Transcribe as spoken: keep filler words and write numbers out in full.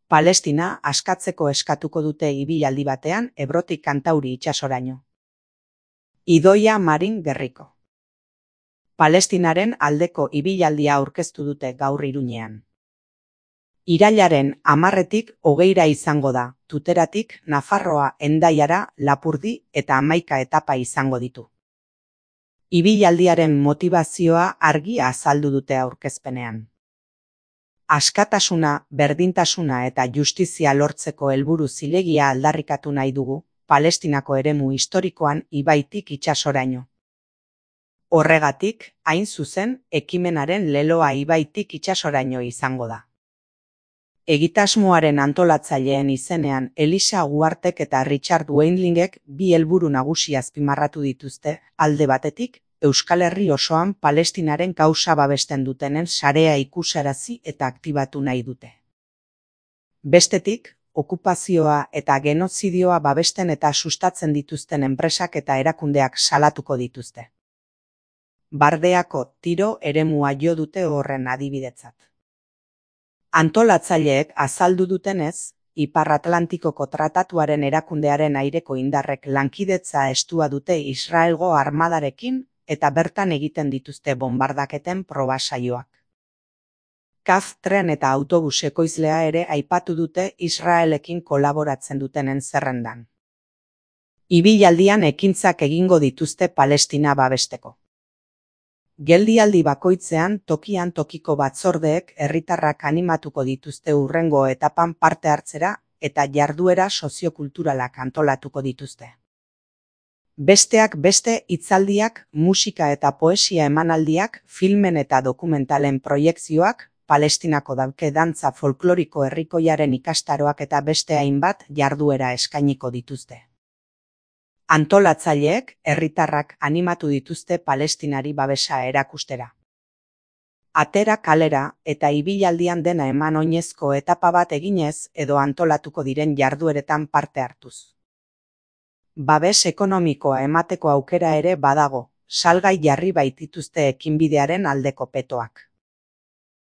Palestina askatzeko eskatuko dute ibilaldi batean Ebrotik Kantauri itsasoraino. Idoia Marin Gerriko. Palestinaren aldeko ibilaldia aurkeztu dute gaur Iruñean. Irailaren hamarretik hogeira izango da, Tuteratik Nafarroa Hendaiara, Lapurdi eta hamaika etapa izango ditu. Ibilaldiaren motivazioa argi azaldu dute aurkezpenean. Askatasuna, berdintasuna eta justizia lortzeko helburu zilegia aldarrikatu nahi dugu, Palestinako eremu historikoan ibaitik itsasoraino. Horregatik, hain zuzen, ekimenaren leloa ibaitik itsasoraino izango da. Egitasmoaren antolatzaileen izenean Elisa Uartek eta Richard Weinlingek bi helburu nagusi azpimarratu dituzte, alde batetik, Euskal Herri osoan Palestinaren kausa babesten dutenen sarea ikusarazi eta aktibatu nahi dute. Bestetik, okupazioa eta genozidioa babesten eta sustatzen dituzten enpresak eta erakundeak salatuko dituzte. Bardeako tiro eremua jo dute horren adibidetzat. Antolatzaileek azaldu dutenez, Ipar Atlantikoko Tratatuaren erakundearen aireko indarrek lankidetza estua dute Israelgo armadarekin eta bertan egiten dituzte bonbardaketen probasaioak. Kaf tren eta autobus ekoizlea ere aipatu dute Israelekin kolaboratzen dutenen zerrendan. Ibilaldian ekintzak egingo dituzte Palestina babesteko. Geldialdi bakoitzean tokian tokiko batzordeek herritarrak animatuko dituzte hurrengo etapan parte hartzera eta jarduera soziokulturalak antolatuko dituzte. Besteak beste hitzaldiak, musika eta poesia emanaldiak, filmen eta dokumentalen proiekzioak, Palestinako dauke dantza folkloriko herrikoiaren ikastaroak eta beste hainbat jarduera eskainiko dituzte. Antolatzaileek herritarrak animatu dituzte Palestinari babesa erakustera. Atera kalera eta ibilaldian dena eman oinezko etapa bat eginez edo antolatuko diren jardueretan parte hartuz. Babes ekonomikoa emateko aukera ere badago, salgai jarri baitituzte ekinbidearen aldeko petoak.